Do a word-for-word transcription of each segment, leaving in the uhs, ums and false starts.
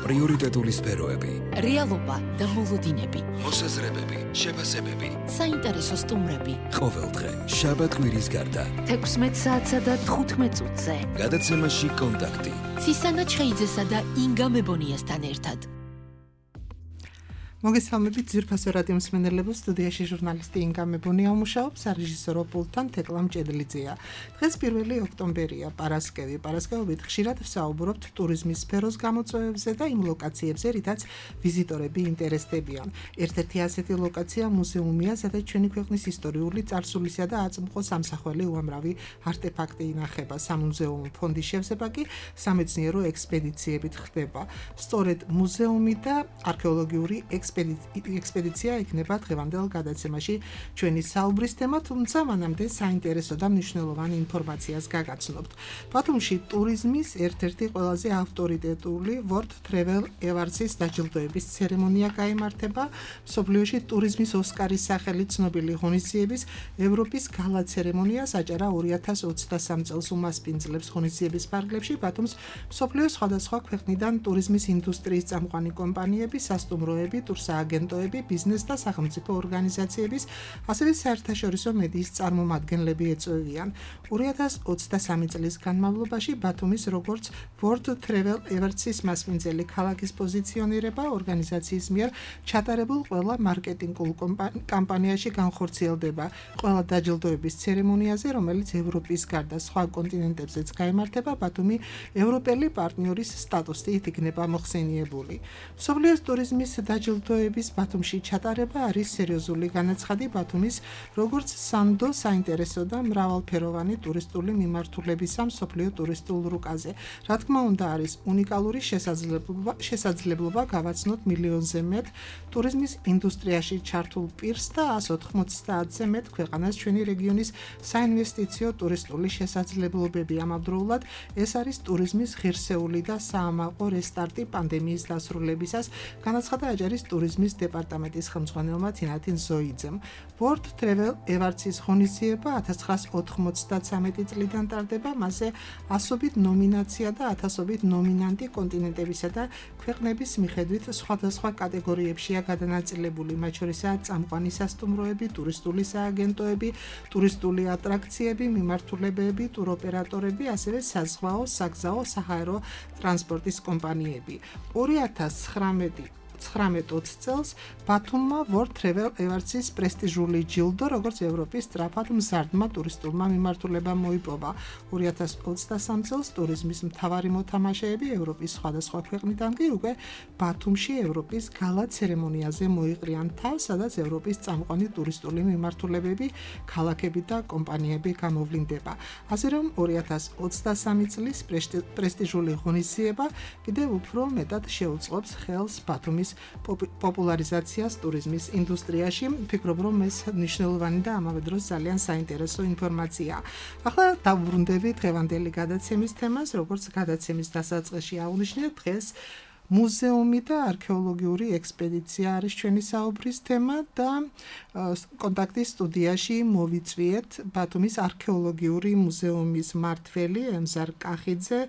პრიორიტეტული სფეროები, რეალობა და მოლოდინები, მოსაზრებები, შეფასებები, საინტერესო სტუმრები. ყოველდღე შაბათ-კვირის გარდა თექვსმეტ საათსა და თხუთმეტ წუთზე. გადაცემაში კონტაქტი. ცისანა ჩხეიძესა და ინგა მებონიასთან ერთად. მოგესალმებით ძვირფასო რადიო მსმენელებო, სტუდიაში ჟურნალისტი ინგა მებონია მუშაობს, რეჟისორო პულტთან თეკლა მჭედლიძეა. დღეს პირველი ოქტომბერია, პარასკევი. პარასკევობით ხშირად ვსაუბრობთ ტურიზმის სფეროს გამოწვევებზე და იმ ლოკაციებზე, რითაც ვიზიტორები ინტერესდებიან. ერთ-ერთი ასეთი ლოკაცია მუზეუმია, სადაც ჩვენი ქვეყნის ისტორიული წარსულისა და აწმყო სამსახველი უამრავი არტეფაქტი ინახება. სამუზეუმო ფონდის შევსება კი სამეცნიერო ექსპედიციებით ხდება. სწორედ მუზეუმი და არქეოლოგიური ექსპედიცია იქნება დღევანდელ გადაცემაში ჩვენი საუბრის თემა, თუმცა მანამდე საინტერესო და მნიშვნელოვანი ინფორმაციას გაგაცნობთ. ბათუმში ტურიზმის ერთ-ერთი ყველაზე ავტორიტეტული World Travel Awards-ის დაჯილდოების ცერემონია გაიმართება. მსოფლიოში ტურიზმის ოსკარის სახელით ცნობილი ღონისძიების ევროპის გალა ცერემონია საჯარა ორი ათას ოცდასამ წელს უმასპინძლებს. ღონისძიების ფარგლებში ბათუმს მსოფლიოს სხვადასხვა ქვეყნიდან ტურიზმის ინდუსტრიის წამყვანი კომპანიები, სასტუმროები, სააგენტოები, ბიზნეს და სახელმწიფო ორგანიზაციების, ასევე საერთაშორისო მედიის წარმომადგენლები ეწვევიან. ორი ათას ოცდასამი წლის განმავლობაში ბათუმის როგორც World Travel Awards-ის მასპინძელი ქალაქის პოზიციონირება ორგანიზაციის მიერ ჩატარებულ ყველა მარკეტინგულ კამპანიაში განხორციელდება. ყველა დაჯილდოების ცერემონიაზე, რომელიც ევროპის გარდა სხვა კონტინენტებზეც გაიმართება, ბათუმი ევროპელი პარტნიორის სტატუსით იქნება მოხსენიებული. მსოფლიოს ტურიზმის დაჯილდოების ბათუმში ჩატარება არის სერიოზული განაცხადი ბათუმის როგორც სანდო საინტერესო და მრავალფეროვანი ტურისტული მიმართულებისა მსოფლიო ტურისტულ რუკაზე. რა თქმა უნდა, არის უნიკალური შესაძლებლობა შესაძლებლობა გავაცნოთ მილიონზე მეტ ტურიზმის ინდუსტრიაში ჩართულ პირს და ას ოთხმოცდაათზე მეტ ქვეყანას ჩვენი რეგიონის საინვესტიციო ტურისტული შესაძლებლობები. ამავდროულად ეს არის ტურიზმის ღირსეული და საამაყო რესტარტი პანდემიის დასრულებისას, განაცხადა აჯარის ტურიზმის დეპარტამენტის ხელმძღვანელმა თინათინ ზოიძემ. World Travel Awards-ის ღონისძიება ათას ცხრაასა ოთხმოცდათრამეტი წლიდან ტარდება, მასზე ასობით ნომინაცია და ათასობით ნომინანტი კონტინენტებისა და ქვეყნების მიხედვით სხვადასხვა კატეგორიებშია გადანაწილებული, მათ შორისაა წამყვანი სასტუმროები, ტურისტული სააგენტოები, ტურისტული ატრაქციები, მიმართულებები, ტუროპერატორები, ასევე საზღვაო, საგზაო, საჰაერო ტრანსპორტის კომპანიები. ორი ათას ცხრამეტი ცხრამეტ-ოცი წელს ბათუმმა World Travel Awards-ის პრესტიჟული ჯილდო, როგორც ევროპის სწრაფად მზარდმა ტურისტულმა მიმართულებამ მოიპოვა. ორი ათას ოცდასამ წელს ტურიზმის მთავარი მოთამაშეები ევროპის სხვადასხვა ქვეყნიდან კი უკვე ბათუმში ევროპის გალა ცერემონიაზე მოიყრიან თავს, სადაც ევროპის წამყვანი ტურისტული მიმართულებები, ქალაქები და კომპანიები გამოვლინდება. ასე რომ ორი ათას ოცდასამი წლის პრესტიჟული ღონისძიება კიდევ უფრო მეტად შეუწყობს ხელს ბათუმის პოპულარიზაციას ტურიზმის ინდუსტრიაში. ვფიქრობ, რომ ეს მნიშვნელოვანი და ამავე დროს ძალიან საინტერესო ინფორმაციაა. ახლა დავუბრუნდები დღევანდელი გადაცემის თემას, როგორც გადაცემის დასაწყისში აღვნიშნეთ, დღეს მუზეუმი და არქეოლოგიური ექსპედიცია არის ჩვენი საუბრის თემა და კონტაქტის სტუდიაში მოვიწვიეთ ბათუმის არქეოლოგიური მუზეუმის მმართველი ემზარ კახიძე,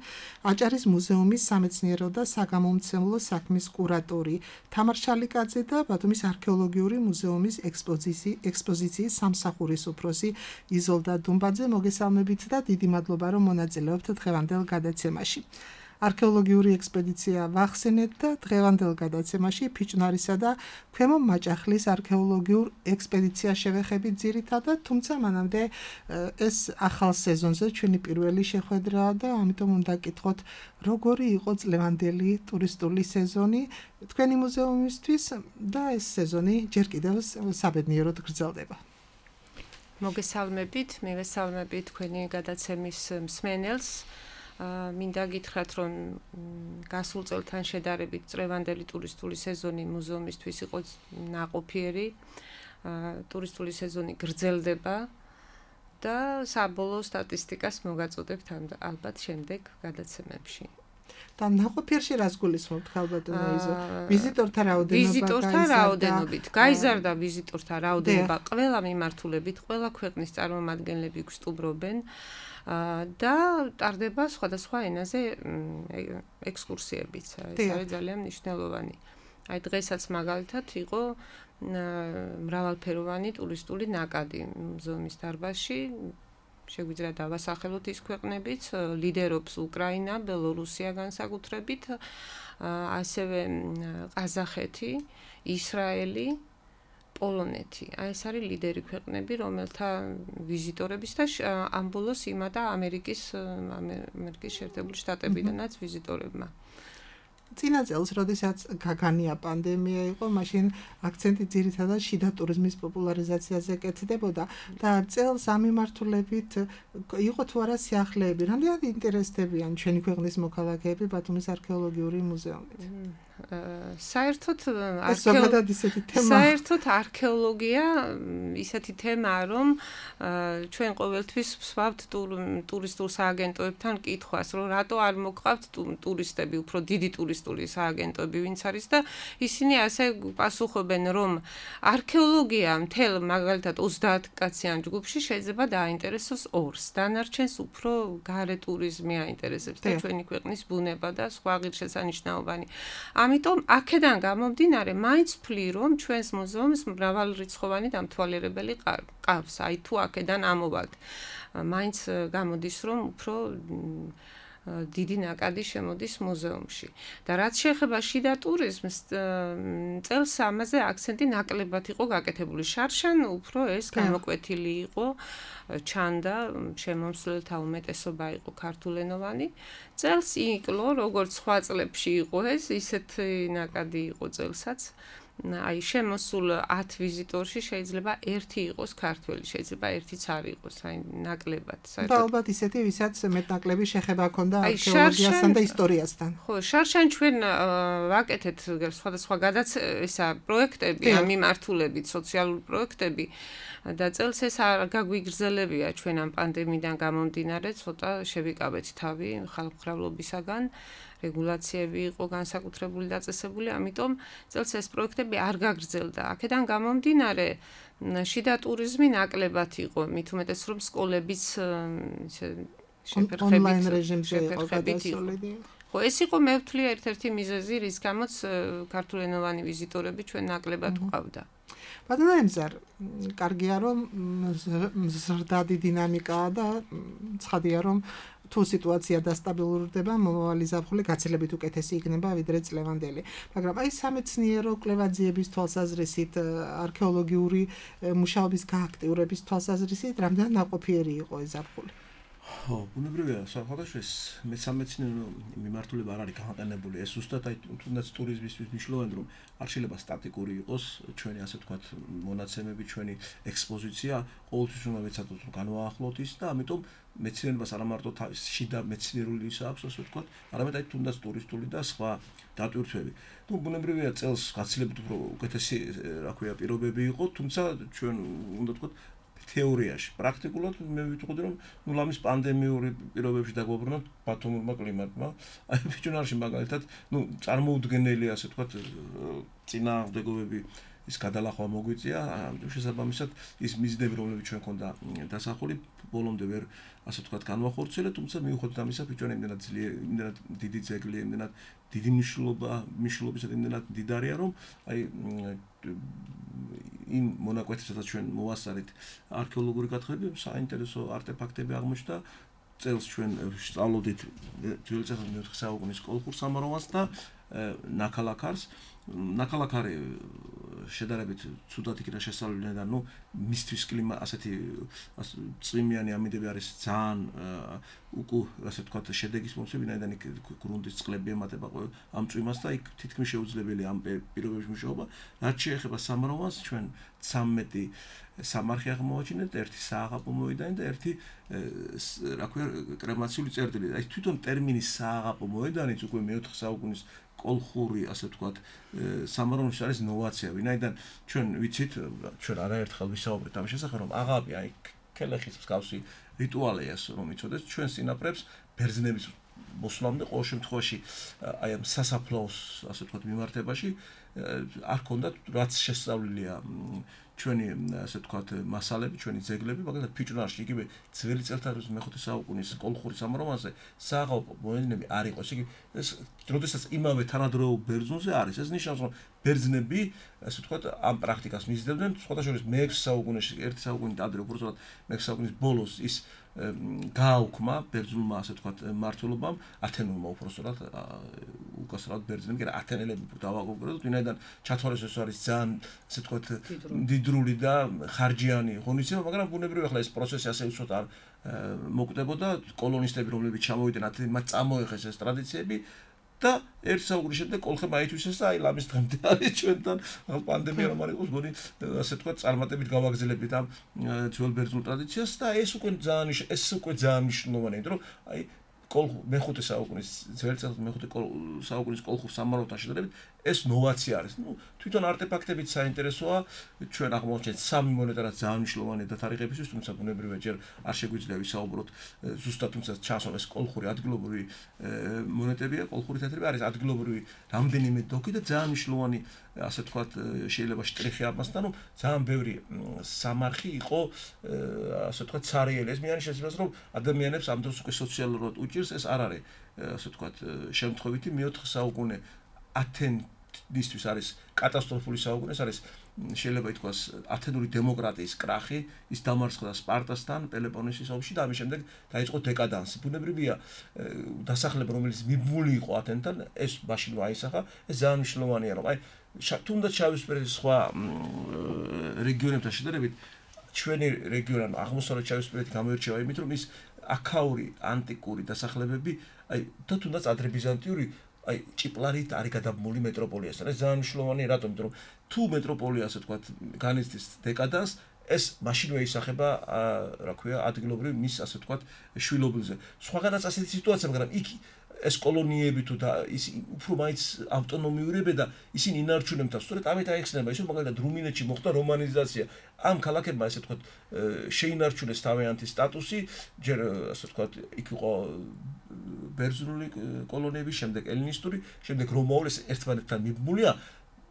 აჭარის მუზეუმის სამეცნიერო და საგამომცემლო საქმის კურატორი თამარ შალიკაძე და ბათუმის არქეოლოგიური მუზეუმის ექსპოზიციის სამსახურის უფროსი იზოლდა დუმბაძე. მოგესალმებით და დიდი მადლობა, რომ მონაწილეობთ დღევანდელ გადაცემაში. არქეოლოგიური ექსპედიცია ვახსენეთ და დღევანდელ გადაცემაში ფიჭვნარისა და ქვემო მაჭახლის არქეოლოგიურ ექსპედიციას შევეხებით ძირითადად, თუმცა მანამდე ეს ახალ სეზონზე ჩვენი პირველი შეხვედრაა და ამიტომ უნდა გკითხოთ, როგორი იყო წლევანდელი ტურისტული სეზონი თქვენი მუზეუმისთვის და ეს სეზონი ჯერ კიდევ საბედნიეროდ გრძელდება. მოგესალმებით, მივესალმებით თქვენი გადაცემის მსმენელს. მინდა გითხრათ, რომ გასულ წელთან შედარებით წლევანდელი ტურისტული სეზონი მუზეუმისთვის იყო ნაყოფიერი. ტურისტული სეზონი გრძელდება და საბოლოო სტატისტიკას მოგაწოდებთ ალბათ შემდეგ გადაცემებში. და ნაყოფიერში რას გულისხმობთ ხალბატონო იზო? ვიზიტორთა რაოდენობა ვიზიტორთა რაოდენობით გაიზარდა ვიზიტორთა რაოდენობა ყველა მიმართულებით, ყველა ქვეყნის წარმომადგენლები გვსტუმრობენ. და ტარდება სხვადასხვა ენაზე ექსკურსიებიც. ეს არის ძალიან მნიშვნელოვანი. აი დღესაც მაგალითად იყო მრავალფეროვანი ტურისტული ნაკადი მუზეუმის დარბაზში. შეგვიძლია დავასახელოთ ის ქვეყნებიც, ლიდერობს უკრაინა, ბელორუსია განსაკუთრებით, ასევე ყაზახეთი, ისრაელი, პოლონეთი. აი ეს არის ლიდერი ქვეყნები, რომელთა ვიზიტორების და ამ ბოლოს იმადა ამერიკის ამერიკის შეერთებული შტატებიდანაც ვიზიტორებმა. წინა წელს, როდესაც გაგანია პანდემია იყო, მაშინ აქცენტი ძირითადად შიდა ტურიზმის პოპულარიზაციაზე კეთდებოდა და წელს ამ მიმართულებით იყო თუ არა სიახლეები, რამდენად ინტერესდებიან ჩვენი ქვეყნის მოქალაქეები ბათუმის არქეოლოგიური მუზეუმით? საერთოდ საერთოდ არქეოლოგია ისეთი თემაა, რომ ჩვენ ყოველთვის ვსვავთ ტურისტულ სააგენტოებთან კითხვას, რომ რატო არ მოგყავთ ტურისტები, უფრო დიდი ტურისტული სააგენტოები ვინც არის და ისინი ასე პასუხობენ, რომ არქეოლოგია მთელ მაგალითად ოცდაათ კაციან ჯგუფში შეიძლება დააინტერესოს ორს, დანარჩენს უფრო გარე ტურიზმი აინტერესებს და ჩვენი ქვეყნის ბუნება და სხვა ღირსშესანიშნაობანი. ამიტომ აქედან გამომდინარე, მაინც ვფლი, რომ ჩვენს მუზეუმს მრავალრიცხოვანი დამთვალიერებელი ყავს. აი თუ აქედან ამოვალთ, მაინც გამოდის, რომ უფრო დიდი ნაკადი შემოდის მუზეუმში. და რაც შეეხება შიდა ტურიზმს, წელს ამაზე აქცენტი ნაკლებად იყო გაკეთებული. შარშან უფრო ეს გამოკვეთილი იყო, ჩანდა შემომსვლელთა უმეტესობა იყო ქართულენოვანი. წელს იკლო, როგორც სხვა წლებში იყო ეს, ისეთი ნაკადი იყო წელსაც. აი შემოსულ ათ ვიზიტორში შეიძლება ერთი იყოს ქართველი, შეიძლება ერთიც არ იყოს, აი ნაკლებად. და ალბათ ისეთი, ვისაც მეტნაკლები შეხება ჰქონდა არქეოლოგიასთან და ისტორიასთან. ხო, შარშან ჩვენ ვაკეთეთ სხვადასხვა გადაცემა პროექტები, ამ მიმართულებით, სოციალური პროექტები და წელს ეს არ გაგვიგრძელებია ჩვენ ამ პანდემიიდან გამომდინარე, ცოტა შევიკავეთ თავი ხალხმრავლობისაგან. რეგულაციები იყო განსაკუთრებული დაწესებული, ამიტომ წელს ეს პროექტები არ გაგრძელდა. აქედან გამომდინარე, შიდა ტურიზმი ნაკლებად იყო, მით უმეტეს რომ სკოლებიც შეფერხებით ონლაინ რეჟიმზე იყო გადასული. ხო, ეს იყო მე ვთვლი ერთ-ერთი მიზეზი, რის გამოც ქართულენოვანი ვიზიტორები ჩვენ ნაკლებად გვყავდა. ბატონო ემზარ, კარგია რომ მზრდადი დინამიკაა და ცხადია რომ თუ სიტუაცია დასტაბილურდება, მომავალი ზაფხული გაცილებით უკეთესი იქნება ვიდრე წლევანდელი. მაგრამ აი სამეცნიერო კვლევაძიების თვალსაზრისით, არქეოლოგიური მუშაობის გააქტიურების თვალსაზრისით, რამდენად ნაყოფიერი იყო ეს ზაფხული? ხო, ბუნებრივია, საერთოდ ეს მეცამეცნიერო მიმართულება არ არის გამოყენებული. ეს ზუსტად აი თუნდაც ტურიზმისთვის მნიშვნელოვანი, რომ არ შეიძლება სტატიკური იყოს ჩვენი ასე ვთქვათ მონაცემები, ჩვენი ექსპოზიცია, ყოველთვის უნდა ვეცადოთ რომ განვაახლოთ ის და ამიტომ მეცნიერებას არა მარტო შიდა მეცნიერული ის აქვს, ასე ვთქვათ, არამედ აი თუნდაც ტურისტული და სხვა დატვირთვები. ნუ ბუნებრივია წელს გაცილებით უფრო უკეთესი, რა ქვია, პირობები იყო, თუმცა ჩვენ უნდა ვთქვათ თეორიაში, პრაქტიკულად მე ვიტყოდი რომ ნუ ლამის პანდემიური პირობებში დაგვაბრუნოთ ბათუმურმა კლიმატმა. აი ფიჭვნარში მაგალითად, ნუ წარმოუდგენელი ასე ვთქვათ წინააღმდეგობები ის გადალახვა მოგვიწია, შესაბამისად ის მიზნები რომლებიც ჩვენ ქონდა დასახული ბოლომდე ვერ ასე ვთქვათ განვახორციელეთ, თუმცა მიუხედავად ამისა ფიჭვნა იმდენად ძლიერი, იმდენად დიდი ძეგლი, იმდენად დიდი მნიშვნელობა, მნიშვნელობისა იმდენად დიდარია, რომ აი იმ მონაკვეთებსაც ჩვენ მოვასწარით არქეოლოგიური გათხრები, საინტერესო არტეფაქტები აღმოჩნდა. წელს ჩვენ სწავლობდით ძველი წელს მეოთხე საუკუნის კოლხურ სამაროვანს და ნაქალაქარს. ნაქალაქარი შედარებით ცუდად იქნა შესწავლილი და ნუ მისთვის კლიმატ ასეთი წვიმიანი ამინდები არის ძალიან უკუ ასე ვთქვათ შედეგის მომცემი, ვინაიდან იქ გრუნტის წყლები ემატება ამ წვიმას და იქ თითქმის შეუძლებელია ამ პირობებში მუშაობა. რაც შეეხება სამაროვანს, ჩვენ ცამეტი სამარხი აღმოვაჩინეთ, ერთი სააღაპო მოედანი და ერთი რა ქვია კრემაციული წერტილი. აი თვითონ ტერმინი სააღაპო მოედანიც უკვე მეოთხე საუკუნის კოლხური ასე ვთქვათ სამაროვანში არის ნოვაცია, ვინაიდან ჩვენ ვიცით, ჩვენ არაერთხელ ვისაუბრეთ ამ შესახებ, რომ აღაპი აი ქელეხის მსგავსი რიტუალია, რომ იცოდეს ჩვენ სინაპრებს ბერძნების მოსვლამდე ყოველ შემთხვევაში აი ამ სასაფლაოს ასე ვთქვათ მიმართებაში არ ქონდათ რაც შესწავლილია ჩვენი ასე ვთქვათ მასალები, ჩვენი ძეგლები, მაგალითად ფიჭვნარში იგივე ძველი წელთაღრიცხვის მეხუთე საუკუნის კოლხური სამაროვანზე საყოველთაო მოედნები არ იყოს. იგი ეს როდესაც იმავე თანადროულ ბერძნულზე არის, ეს ნიშნავს, რომ ბერძნები ასე ვთქვათ ამ პრაქტიკას მისდევდნენ, სხვადასხვა მეექვსე საუკუნეში, ერთი საუკუნით ადრე უბრალოდ მეექვსე საუკუნის ბოლოს ის გააუქმა ბერძნულმა ასე ვთქვათ მმართველობამ, ათენურმა უпростоრად უკასრად ბერძნები, კი არა ათენელები დავაკონკრეტოთ, ვინაიდან ჩათვალეს ეს არის ძალიან ასე ვთქვათ დიდრული და ხარჯიანი ღონისძიება, მაგრამ ბუნებრივია ახლა ეს პროცესი ასე უცოდ არ მოკვდებოდა, კოლონისტები რომლებიც ჩამოვიდნენ ათენში, მათ წამოიღეს ეს ტრადიციები და ერთ საუკუნის შემდეგ კოლხებმა აითვისეს და აი ლამის დღემდე არის ჩვენთან პანდემია რომ არ იყოს გონი ასე თქვა წარმატებით გავაგრძელებით ამ ძველ ბერძნულ ტრადიციას და ეს უკვე ძალიან ეს უკვე ძალიან მნიშვნელოვანია იმიტომ რომ აი მეხუთე საუკუნის ძველი წელთაღრიცხვის მეხუთე საუკუნის კოლხურ სამაროვანთან შედარებით ეს ნოვაცია არის. ნუ თვითონ არტეფაქტებიც საინტერესოა. ჩვენ აღმოვაჩენთ სამი მონეტა რაც ძალიან მნიშვნელოვანია და თარიღებისთვის, თუმცა ბუნებრივია ჯერ არ შეგვიძლია ვისაუბროთ ზუსტად, თუმცა ჩანს ეს კოლხური ადგილობრივი მონეტებია, კოლხური თეთრები არის ადგილობრივი რამდენიმე დოკი და ძალიან მნიშვნელოვანი ასე ვთქვათ შეიძლება შტრიხი ამასთან, რომ ძალიან ბევრი სამარხი იყო ასე ვთქვათ ცარიელი. ეს მიანიშნებს, რომ ადამიანებს ამ დროს უკვე სოციალურად უჭირს, ეს არ არის ასე ვთქვათ შემთხვევითი მეოთხე საუკუნე ათენისთვის არის კატასტროფული საუკუნე, ეს არის შეიძლება ითქვას ათენური დემოკრატიის კრახი, ის დამარცხდა სპარტასთან პელოპონესის ომში და ამის შემდეგ დაიწყო დეკადანსი. ბუნებრივია დასახლება რომელიც მიბმული იყო ათენთან, ეს მაშინ აისახა, ეს ძალიან მნიშვნელოვანია, რომ აი თუნდაც შავისპირეთის სხვა რეგიონებთან შედარებით ჩვენი რეგიონი აღმოსავლეთ შავისპირეთი გამოირჩევა იმით, რომ ის აქაური ანტიკური დასახლებები, აი და თუნდაც ადრებიზანტიური აი ჭიპლარით არის გადაბმული მეტროპოლიასთან. ეს ძალიან მნიშვნელოვანია, რატომ? იმიტომ რომ თუ მეტროპოლია ასე ვთქვათ განიცდის დეკადანს, ეს მაშინვე ისახება, რა ქვია, ადგილობრივ მის ასე ვთქვათ შვილობილზე. სხვაგანაც ასეთი სიტუაცია, მაგრამ იქ ეს კოლონიები თუ და ის უფრო მაინც ავტონომიურებია და ისინი ინარჩუნებენ თავს. სწორედ ამით აიხსნება ის, რომ მაგალითად რუმინეთში მოხდა რომანიზაცია. ამ ქალაქებმა ასე ვთქვათ შეინარჩუნეს თავიანთი სტატუსი, ჯერ ასე ვთქვათ იქ იყო ბერძნული კოლონიები, შემდეგ ელინისტური, შემდეგ რომაული, ეს ერთმანეთთან მიბმულია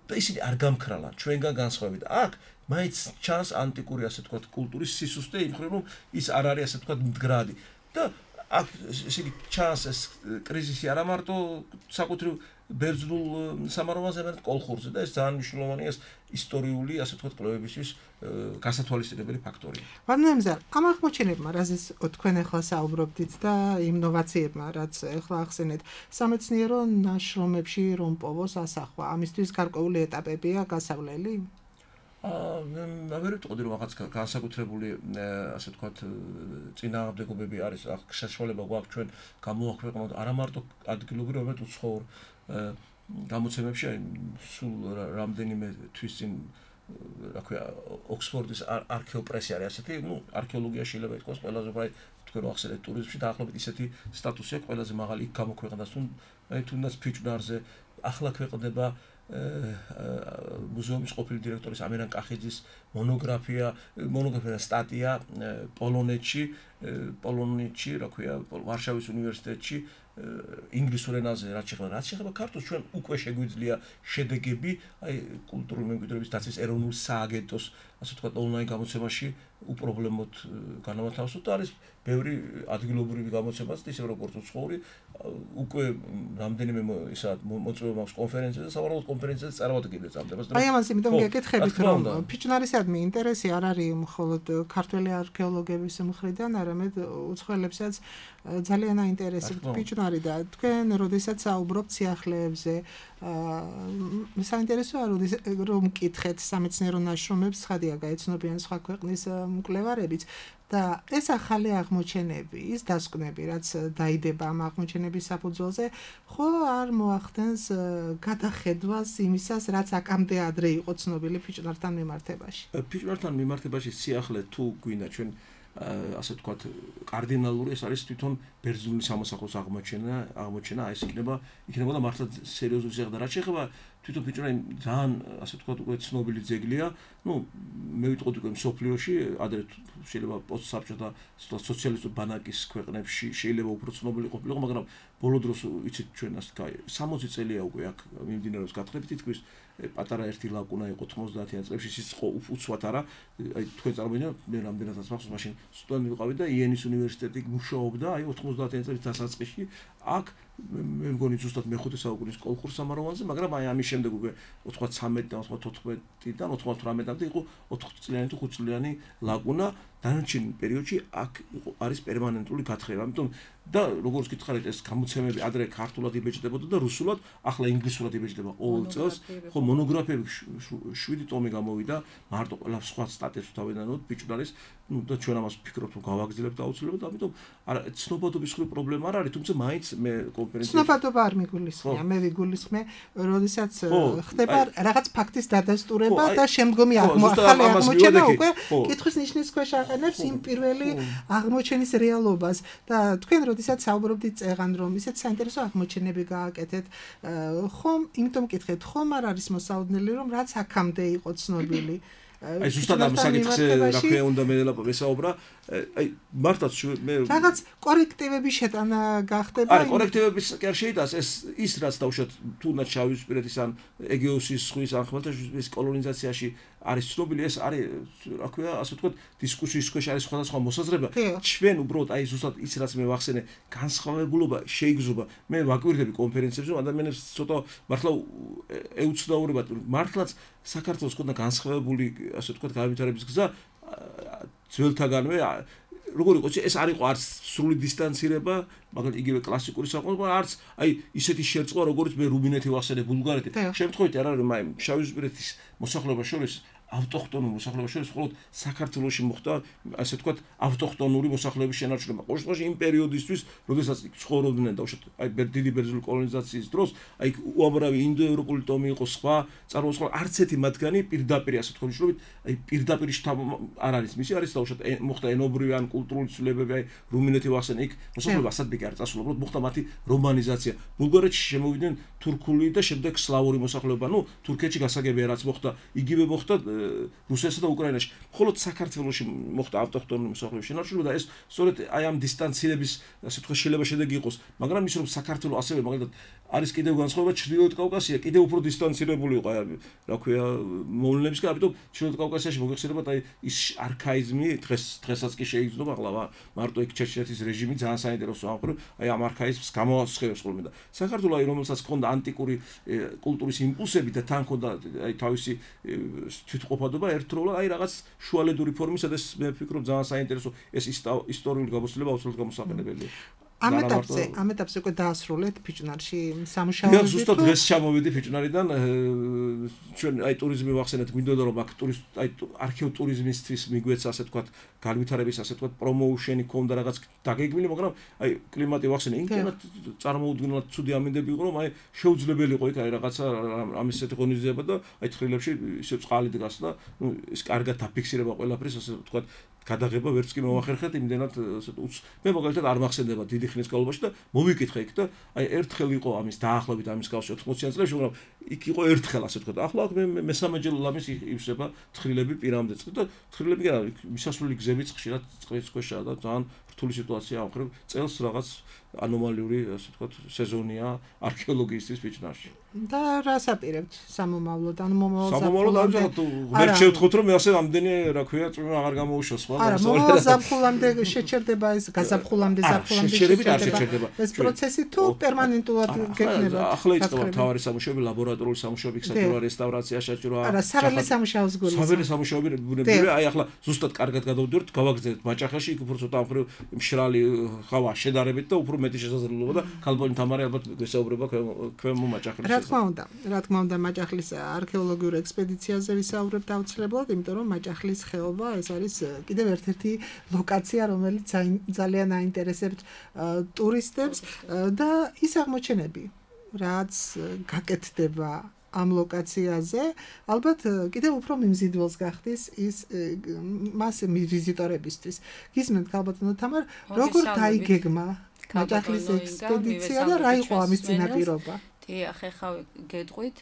და ისინი არ გამქრალან ჩვენგან განსხვავებით. აქ მაინც ჩანს ანტიკური ასე ვთქვათ კულტურის სისუსტე იმ მხრივ, რომ ის არ არის ასე ვთქვათ მდგრადი და აქ ისინი ჩანს ეს კრიზისი არა მარტო საკუთრივ ბერძნულ სამაროვანზე, არამედ კოლხურზე და ეს ძალიან მნიშვნელოვანია ეს ისტორიული ასე ვთქვათ კვლევებისთვის გასათვალისწინებელი ფაქტორია. ვანემზარ, ამ აღმოჩენებმა, რაზეც თქვენ ახლა საუბრობდით და იმ ნოვაციებმა, რაც ახლა ახსენეთ, სამეცნიერო ნაშრომებში რომ პოვოს ასახვა, ამისთვის გარკვეული ეტაპებია გასავლელი? აა ვერ ვიტყოდი რომ რაღაც განსაკუთრებული ასე ვთქვათ წინააღმდეგობები არის, საშუალება გვაქვს ჩვენ გამოვაქვეყნოთ არა მარტო ადგილობრივ, არამედ უცხოურ გამოცემებში, აი სულ რამდენიმე თვის წინ რა ქვია ოქსფორდის არქეოპრესი არის ასეთი, ნუ არქეოლოგიაში შეიძლება ითქვას ყველაზე უფრო თქვენ რო ახსენეთ ტურიზმში დაახლოებით ისეთი სტატუსი აქვს, ყველაზე მაღალი იქ გამოქვეყნდა, აი თუნდაც ფიჭვნარზე ახლა ქვეყნდება მუზეუმის ყოფილი დირექტორის ამირან კახიძის მონოგრაფია, მონოგრაფია სტატია პოლონეთში, პოლონეთში, რა ქვია, ვარშავის უნივერსიტეტში ინგლისურ ენაზე რაც შეეხება, რაც შეეხება ქართულს, ჩვენ უკვე შეგვიძლია შედეგები, აი კულტურული მემკვიდრეობის დაცვის ეროვნულ სააგენტოს, ასე ვთქვათ, ონლაინ გამოცემაში უპრობლემოდ განავათავსოთ და არის ბევრი ადგილობრივი გამოცემაც, ისე როგორც უცხოური, უკვე რამდენიმე ისა მოწვევა მაქვს კონფერენციაზე, სავარაუდოდ კონფერენციაზე წარმოადგენს ამდებას. აი ამას იმიტომ გეკითხებით, რომ ფიჭვნარისადმი ინტერესი არ არის მხოლოდ ქართველი არქეოლოგების მხრიდან, არამედ უცხოელებსაც ძალიან აინტერესებთ ფიჭვნარი და თქვენ როდესაც საუბრობთ სიახლეებზე, საინტერესოა რომ მკითხეთ სამეცნიერო ნაშრომებს, ხადია გაეცნობიან სხვა ქვეყნის მკვლევარებიც და ეს ახალი აღმოჩენები, ის დასკვნები, რაც დაიდება ამ აღმოჩენების საფუძველზე, ხო არ მოახდენს გადახედვას იმისას, რაც აქამდე ადრე იყო ცნობილი ფიჭვნართან მიმართებაში. ფიჭვნართან მიმართებაში სიახლე თუ გვინდა ჩვენ ასე ვთქვათ კარდინალური ეს არის თვითონ ბერძნული სამოსახლოს აღმოჩენა, აღმოჩენა ეს იქნება, იქნებოდა მართლა სერიოზული ზეგდა, რაც შეეხება თვითონ ფიჭვნარი ძალიან ასე ვთქვათ უკვე ცნობილი ძეგლია, ну მე ვიტყოდი უკვე მსოფლიოში, ადრე შეიძლება პოსტსაბჭოთა სოციალისტური ბანაკის ქვეყნებში შეიძლება უფრო ცნობილი ყოფილიყო, მაგრამ ბოლო დროს იცით ჩვენ ასე კაი სამოცი წელია უკვე აქ მიმდინარეობს გათხრები თითქმის პატარა ერთი ლაკუნა იყო თხმოცდაათიან წლებში ის იყო უცბად არა აი თქვენ წარმოიდგინეთ მე რამდენადაც მახსოვს მაშინ სტუდენტი ვიყავი და იენის უნივერსიტეტი მუშაობდა აი ოთხმოცდაათიან წლების დასაწყისში აქ მე მგონი ზუსტად მეხუთე საუკუნის კოლხურ-სამაროვანზე მაგრამ აი ამის შემდეგ უკვე ოცდათვრამეტი და ოცდათოთხმეტიდან ოცდათვრამეტამდე იყო ოთხწლიანი თუ ხუთწლიანი ლაკუნა დანარჩენ პერიოდში აქ იყო არის პერმანენტული გათხრება ამიტომ და როგორც გითხარით ეს გამოცემები ადრე ქართულად იბეჭდებოდა და რუსულად ახლა ინგლისურად იბეჭდება ყოველ წელს ხო მონოგრაფიები შვიდი ტომი გამოვიდა მარტო ყველა სხვა სტატიებს თავიდანვე ბიჭდარის ну და ჩვენ ამას ვფიქრობთ რომ გავაგრძელებთ აუცილებლად ამიტომ არა ცნობადობის ხრი პრობლემა არ არის თუმცა მაინც მე კონფერენციაში ცნობადობა არ მიგულისხმია მე ვიგულისხმე როდესაც ხდება რაღაც ფაქტის დადასტურება და შემდგომი ახალი აღმოჩენა უკვე კითხვის ნიშნის ქვეშ აყენებს იმ პირველი აღმოჩენის რეალობას და თქვენ როდესაც საუბრობდით წეღან რომ ისეთ საინტერესო აღმოჩენები გააკეთეთ ხომ იმიტომ მკითხეთ ხომ არ არის მოსაოდნელი რომ რაც აქამდე იყო ცნობილი აი ზუსტად ამ საკითხზე რა ქვია უნდა მე ვესაუბრა აი მართლაც მე რაღაც კორექტივები შეტანა გახდება არა კორექტივების კი არ შეიძლება ეს ის რაც დავუშვათ თუნდაც შავიზღვისპირეთის ან ეგეოსის ზღვის ან ხმელთაშუაზღვის კოლონიზაციაში არის ცნობილი ეს არის რა ქვია ასე ვთქვათ დისკუსიის ქვეშ არის სხვადასხვა მოსაზრება ჩვენ უბრალოდ აი ზუსტად ის რაც მე ვახსენე განსხვავებულობა შეიგრძნობა მე ვაკვირდები კონფერენციებზე ადამიანებს ცოტა მართლა ეუცნაურებათ მართლაც საქართველოს ქონდა განსხვავებული ასე ვთქვათ განვითარების გზა ძველთაგანვე როგორ იყო ეს არ იყო არც სრული დისტანცირება მაგალითად იგივე კლასიკური საყოველთაო არც აი ისეთი შერწყვა როგორც მე რუმინეთი ვახსენე ბულგარეთი შემთხვევით არ არის აი შავიზღვისპირეთის მოსახლეობა შორის ავტოხტონური მოსახლეობა შორის მხოლოდ საქართველოში მოხდა ასე ვთქვათ ავტოხტონური მოსახლეობის შენარჩუნება ყოველ შემთხვევაში იმ პერიოდისთვის როდესაც ცხოვრობდნენ და უშუალოდ აი დიდი ბერძნული კოლონიზაციის დროს აი უამრავი ინდოევროპული ტომი იყო სხვა წარმოუდგენლად არც ერთი მათგანი პირდაპირ ასე ვთქვათ უშუალოდ აი პირდაპირ არ არის მისი არის და უშუალოდ მოხდა ენობრივი ან კულტურული ცვლილებები აი რუმინეთი ვახსენე იქ მოსახლეობა ასადბეკი არ წასულა უბრალოდ მოხდა მათი რომანიზაცია ბულგარეთში შემოვიდნენ თურქული და შემდეგ სლავური მოსახლეობა ნუ თურქეთში გასაგებია რაც მოხდა იგივე მოხდა რუსეთსა და უკრაინაში. მხოლოდ საქართველოში მოხდა ავტოხტონური მოსახლეობის შენარჩუნება და ეს სწორედ აი ამ დისტანცირების ასე ვთქვათ შეიძლება შედეგი იყოს, მაგრამ ის რომ საქართველოს ასევე მაგალითად არის კიდევ განსხვავება ჩრდილოეთ კავკასია, კიდევ უფრო დისტანცირებული იყო აი რა ქვია მოვლენებისგან, ამიტომ ჩრდილოეთ კავკასიაში მოგეხსენებათ აი ის არქაიზმი დღეს დღესაც კი შეიგრძნობა ახლა მარტო იქ ჩეჩნეთის რეჟიმი ძალიან საინტერესო ამხრივ აი ამ არქაიზმს გამოასხევს ხოლმე და საქართველოს აი რომელსაც ჰქონდა ანტიკური კულტურის იმპულსები და თან ჰქონდა აი თავისი თვითყოფადობა ერთდროულად აი რაღაც შუალედური ფორმის სადაც მე ვფიქრობ ძალიან საინტერესო ეს ისტორიული გამოცდილება აუცილებლად გამოსაყენებელია ამ ეტაპზე ამ ეტაპზე უკვე დაასრულეთ ფიჭვნარში სამუშაოები. მე ზუსტად დღეს ჩამოვიდი ფიჭვნარიდან ჩვენ აი ტურიზმი ვახსენეთ გვინდოდა რომ აქ ტურისტ აი არქეო ტურიზმისთვის მიგვეცა ასე თქვა განვითარების ასე თქვა პრომოუშენი ქონდა რაღაც დაგეგმილი მაგრამ აი კლიმატი ვახსენე იმდენად წარმოუდგენლად ცუდი ამინდები იყო რომ აი შეუძლებელი იყო იქ აი რაღაცა ამის ესეთი ღონისძიება და აი თხრილებში ისე წყალი დგას და ნუ ეს კარგად დაფიქსირება ყველაფრის ასე თქვა გადაღება ვერც კი მოახერხეთ იმდენად მე მაგალითად არ მახსენდება დიდი ხნის განმავლობაში და მოვიკითხე იქ და აი ერთხელ იყო ამის დაახლოებით ამის კავშირი ოთხმოციან წლებში მაგრამ იქ იყო ერთხელ ასე ვთქვათ ახლა მე მესამე ჯერ ლამის ივსება თხრილები პირამდე და თხრილები კი არა მისასვლელი გზებიც ხშირად წყლის ქვეშაა და ძალიან რთული სიტუაცია ამხრივ წელს რაღაც ანომალიური ასე ვთქვათ სეზონია არქეოლოგიისთვის ფიჭვნარში და რას აპირებთ სამომავლოდ ან მომავალ ზაფხულამდე ვერ შევთხოვთ რომ მე ასე ამდენი რა ქვია წვიმა აღარ გამოუშვას სხვა არა მომავალ ზაფხულამდე შეჩერდება ეს გაზაფხულამდე ზაფხულამდე შეჩერებით არ შეჩერდება ეს პროცესი თუ პერმანენტულად გექნება ახლა იწყება თავარი სამუშაოები ლაბორატორიული სამუშაოები საჭიროა რესტავრაცია საჭიროა არა საველე სამუშაოს გულისხმობს საველე სამუშაოები ბუნებრივია აი ახლა ზუსტად კარგად გადავდივართ გავაგზავნეთ მაჭახაში იქ უფრო ცოტა ამხრივ მშრალი ხავა შედარებით და უფრო მეტი შესაძლებლობა და ქალბოლი თამარი ალბათ გვესაუბრება ქვემო მაჭახლის რა თქმა უნდა რა თქმა უნდა მაჭახლის არქეოლოგიურ ექსპედიციაზე ვისაუბრებთ აუცილებლად იმიტომ რომ მაჭახლის ხეობა ეს არის კიდევ ერთ-ერთი ლოკაცია რომელიც ძალიან აინტერესებთ ტურისტებს და ის აღმოჩენები რაც გაკეთდება ამ ლოკაციაზე ალბათ კიდევ უფრო მიმზიდველს გახდის ის მას ვიზიტორებისთვის გისმენთ ქალბატონო თამარ როგორ დაიგეგმა მაჭახლის ექსპედიცია და რა იყო ამის წინაპირობა დიახ, ახლა გეტყვით.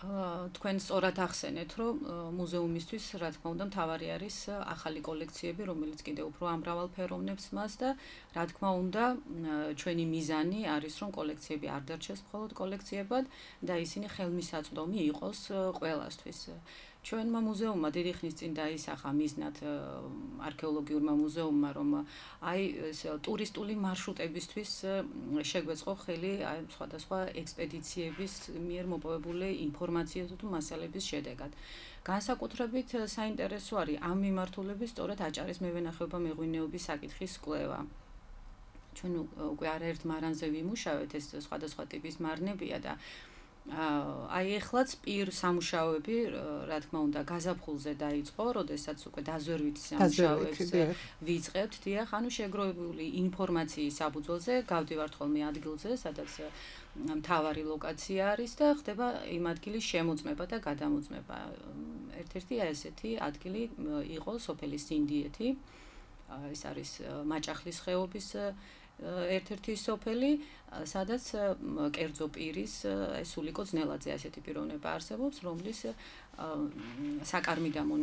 თქვენ სწორად ახსენეთ, რომ მუზეუმისთვის, რა თქმა უნდა, მთავარი არის ახალი კოლექციები, რომელიც კიდევ უფრო ამრავალფეროვნებს მას და რა თქმა უნდა, ჩვენი მიზანი არის, რომ კოლექციები არ დარჩეს მხოლოდ კოლექციებად და ისინი ხელმისაწვდომი იყოს ყველასთვის. ჩვენმა მუზეუმმა დიდი ხნის წინ დაისახა მიზნად არქეოლოგიურმა მუზეუმმა, რომ აი ტურისტული მარშრუტებისთვის შეგვეწყო ხელი აი სხვადასხვა ექსპედიციების მიერ მოპოვებული ინფორმაციისა თუ მასალების შედეგად. განსაკუთრებით საინტერესო არის ამ მიმართულებით სწორედ აჭარის მევენახეობა მეღვინეობის საკითხის კვლევა. ჩვენ უკვე არაერთ მარანზე ვიმუშავეთ, ეს სხვადასხვა ტიპის მარნებია და აი ეხლაც პირ სამუშაოები, რა თქმა უნდა, გაზაფხულზე დაიწყო, როდესაც უკვე დაზვერვით სამუშაოებს ვიწყებთ, დიახ, ანუ შეგროვებული ინფორმაციის საფუძველზე გავდივართ ხოლმე ადგილზე, სადაც მთავარი ლოკაცია არის და ხდება იმ ადგილის შემოწმება და გადამოწმება. ერთ-ერთი ესეთი ადგილი იყო სოფელი სინდიეთი, ეს არის მაჭახლის ხეობის ერთ-ერთი სოფელი, სადაც კერძო პირის სულიკო ძნელაძე ასეთი პიროვნება არსებობს, რომლის საკარმიდამო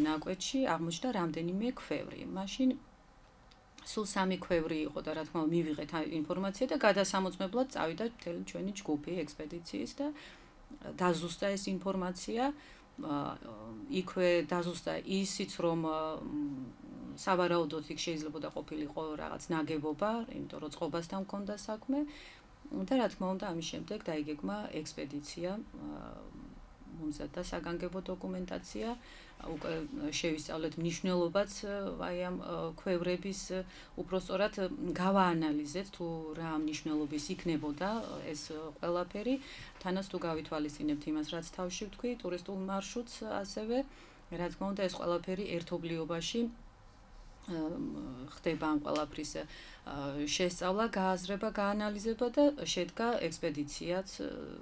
ნაკვეთში აღმოჩნდა რამდენიმე ქვევრი. მაშინ სულ სამი ქვევრი იყო და რა თქმა უნდა მივიღეთ ინფორმაცია და გადასამოწმებლად წავიდა მთელი ჩვენი ჯგუფი ექსპედიციის და დაზუსტა ეს ინფორმაცია. იქვე დაზუსტა ისიც, რომ სავარაუდოდ იქ შეიძლება და ყოფილიყო რაღაც ნაგებობა, იმიტომ რომ წყობასთან მქონდა საქმე და რა თქმა უნდა ამის შემდეგ დაიგეგმა ექსპედიცია, მომზადდა საგანგებო დოკუმენტაცია, უკვე შევისწავლეთ მნიშვნელობაც აი ამ ქვევრების, უпростоრად გავაანალიზეთ თუ რა მნიშვნელობის იქნებოდა ეს ყველაფერი, თანაც თუ გავითვალისწინებთ იმას, რაც თავში ვთქვი, ტურისტულ მარშრუტს ასევე, რა თქმა უნდა ეს ყველაფერი ერთობლიობაში ხდება ამ ყველაფრის შესწავლა, გააზრება, გაანალიზება და შედგა ექსპედიციაც,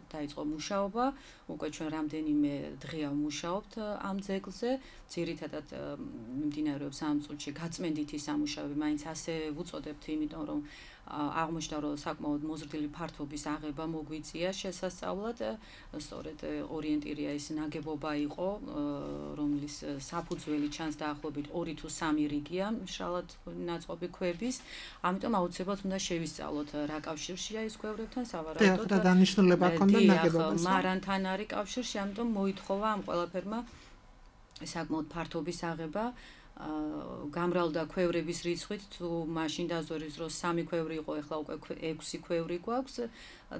დაიწყო მუშაობა, უკვე ჩვენ რამდენიმე დღეა ვმუშაობთ ამ ძეგლზე, ძირითადად მიმდინარეობს ამ წუთში გაწმენდითი სამუშაოები, მაინც ასე ვუწოდებთ, იმიტომ რომ აღმოჩნდა, რომ საკმაოდ მოზრდილი ფართობის აღება მოგვიწია შესასწავლად, სწორედ ორიენტირია ის ნაგებობა იყო, რომლის საფუძველი ჩანს დაახლოებით ორი თუ სამი რიგია მშრალად ნაწყობი ქვების, ამიტომ აუცილებლად უნდა შევისწავლოთ რა კავშირშია ის ქვევრებთან, სავარაუდოდ და დანიშნულება ჰქონდა ნაგებობას. მარანთან არის კავშირში, ამიტომ მოითხოვა ამ ყველაფერმა საკმაოდ ფართობის აღება. გამრავლდა ქვევრების რიცხვით, თუ მაშინ დაზვერვის დროს სამი ქვევრი იყო, ეხლა უკვე ექვსი ქვევრი გვაქვს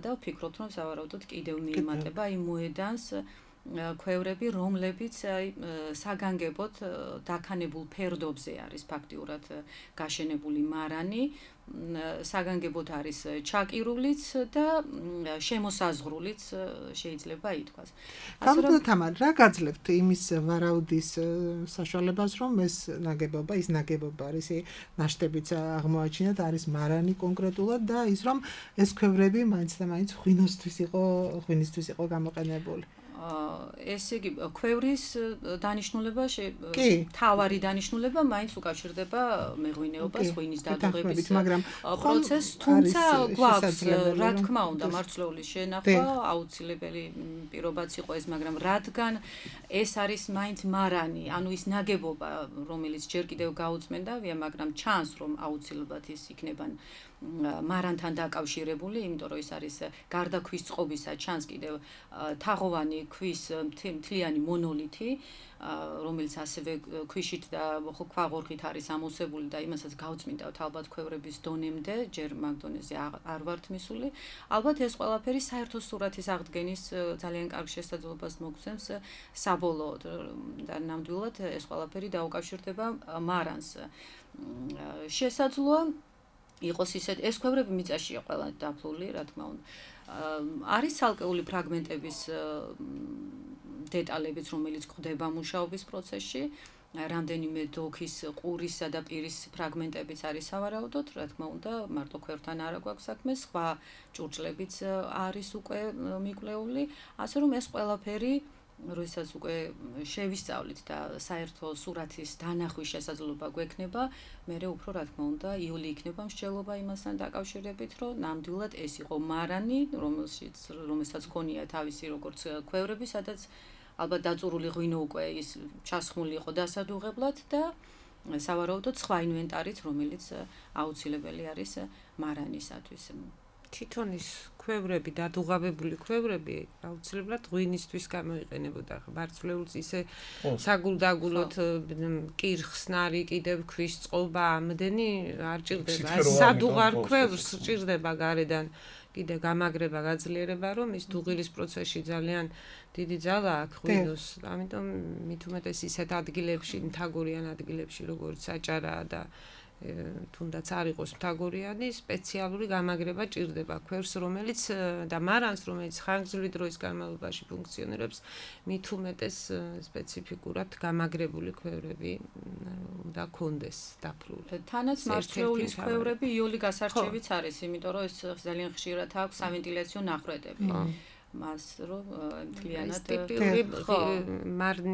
და ვფიქრობთ, რომ სავარაუდოდ კიდევ მიემატება იმ მოედანს ქვევრები, რომლებიც აი საგანგებოდ დაქანებულ ფერდობზე არის ფაქტიურად გაშენებული მარანი, საგანგებოდ არის ჩაკირულიც და შემოსაზღვრულიც შეიძლება ითქვას. გამოდოთ თამარ, რა გაძლევთ იმის ვარაუდის საშუალებას, რომ ეს ნაგებობა, ის ნაგებობა არის ნაშთებიც აღმოაჩინათ, არის მარანი კონკრეტულად და ის რომ ეს ქვევრები მაინც და მაინც ღვინოსთვის იყო, ღვინისთვის იყო გამოყენებული. ესე იგი, ქვევრის დანიშნულება, თავარი დანიშნულება მაინც უკავშირდება მეღვინეობას, ღვინის დადუღების პროცესს, თუმცა გვაქვს, რა თქმა უნდა, მარცვლეულის შენახვა, აუცილებელი პირობაც იყო ეს, მაგრამ რადგან ეს არის მაინც მარანი, ანუ ის ნაგებობა, რომელიც ჯერ კიდევ გაუწმენდავია, მაგრამ ჩანს, რომ აუცილებლად ის იქნება მარანთან დაკავშირებული, იმიტომ რომ ის არის გარდა ქვის წყობისა, ჩანს კიდევ თაღოვანი ქვის მთლიანი მონოლითი, რომელიც ასევე ქვიშით და ქვაღორღით არის ამოვსებული და იმასაც გავწმინდავთ ალბათ ქვევრების დონემდე, ჯერ მაგ დონეზე არ ვართ მისული. ალბათ ეს ყველაფერი საერთო სურათის აღდგენის ძალიან კარგ შესაძლებლობას მოგცემს საბოლოოდ და ნამდვილად ეს ყველაფერი დაუკავშირდება მარანს. შესაძლოა იყოს ისეთ, ეს ქვევრები მიწაშია ყველა დაფლული, რა თქმა უნდა. არის ცალკეული ფრაგმენტების დეტალებიც, რომელიც გვხვდება მუშაობის პროცესში, რამდენიმე დოქის, ყურისა და პირის ფრაგმენტებიც არის სავარაუდოდ, რა თქმა უნდა, მარტო ქვევრთან არა გვაქვს საქმე, სხვა ჭურჭლებიც არის უკვე მიკვლეული, ასე რომ ეს ყველაფერი როდესაც უკვე შევისწავლით და საერთო სურათის დანახვის შესაძლებლობა გვექნება, მერე უფრო რა თქმა უნდა იული იქნება მსჯელობა იმასთან დაკავშირებით, რომ ნამდვილად ეს იყო მარანი, რომელშიც რომელსაც ქონია თავისი როგორც ქვევრები, სადაც ალბათ დაწურული ღვინო უკვე ის ჩასხმული იყო დასადუღებლად და სავარაუდოდ სხვა ინვენტარიც, რომელიც აუცილებელი არის მარანისათვის. თვითონ ის ქვევრები, დადუღაბებული ქვევრები აუცილებლად ღვინისთვის გამოიყენებოდა. ბარცვლეულს ისე საგულდაგულოდ კირხსნარი, კიდევ ქვის წყობა, ამდენი არ ჭირდება. სადუღარ ქვევრს ჭირდება გარედან კიდე გამაგრება, გაძლიერება, რომ ის დუღილის პროცესში ძალიან დიდი ძალა აქვს ღვინოს. ამიტომ მით უმეტეს ისეთ ადგილებში, მთაგორიან ადგილებში, როგორც საჭარაა და თუნდაც არ იყოს მთაგორიანი, სპეციალური გამაგრება ჭირდება ქვევრს, რომელიც და მარანს, რომელიც ხანგრძლივი დროის განმავლობაში ფუნქციონირებს, მით უმეტეს სპეციფიკურად გამაგრებული ქვევრები უნდა კონდეს დაფრული. თანაც მარცვლეულის ქვევრები იული გასარჩევიც არის, იმიტომ რომ ეს ძალიან ხშირად აქვს სავენტილაციო ნახვედები. მას რომ მთლიანად ტიპიური